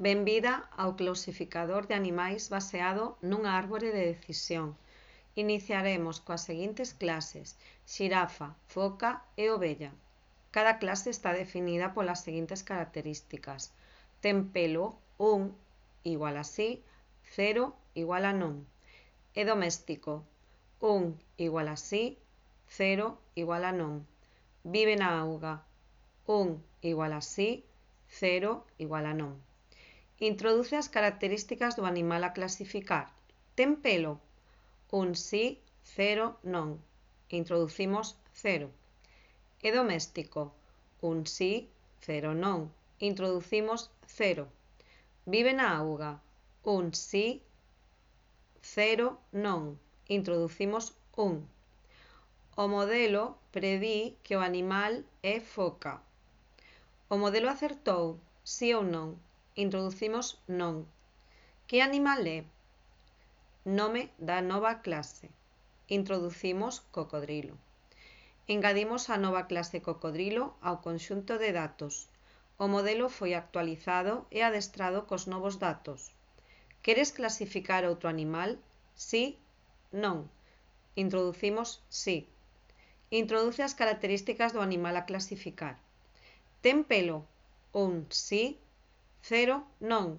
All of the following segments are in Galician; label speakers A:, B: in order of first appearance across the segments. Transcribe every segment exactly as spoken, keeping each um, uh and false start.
A: Benvida ao clasificador de animais baseado nunha árbore de decisión. Iniciaremos coas seguintes clases: xirafa, foca e ovella. Cada clase está definida polas seguintes características: ten pelo, un igual a si, cero igual a non. É doméstico, un igual a si, cero igual a non. Vive na auga, un igual a si, cero igual a non. Introduce as características do animal a clasificar. Ten pelo? Un si, cero non. Introducimos cero. É doméstico? Un si, cero non. Introducimos cero. Vive na auga? Un si, cero non. Introducimos un. O modelo predí que o animal é foca. O modelo acertou? Si ou non? Introducimos non. Que animal é? Nome da nova clase. Introducimos cocodrilo. Engadimos a nova clase cocodrilo ao conxunto de datos. O modelo foi actualizado e adestrado cos novos datos. Queres clasificar outro animal? Si? Non. Introducimos si. Introduce as características do animal a clasificar. Ten pelo? Un si, cero non.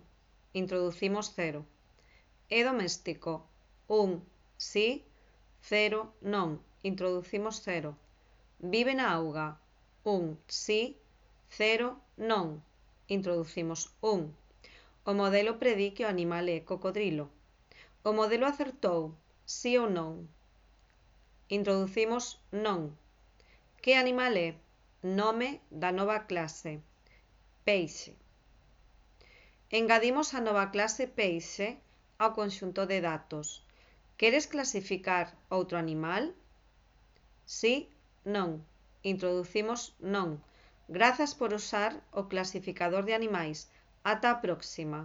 A: Introducimos cero. É doméstico? Un si, cero non. Introducimos cero. Vive na auga? Un si, cero non. Introducimos un. O modelo predí que o animal é cocodrilo. O modelo acertou? Si ou non? Introducimos non. Que animal é? Nome da nova clase. Peixe. Engadimos a nova clase peixe ao conxunto de datos. Queres clasificar outro animal? Si? Non. Introducimos non. Grazas por usar o clasificador de animais. Ata a próxima.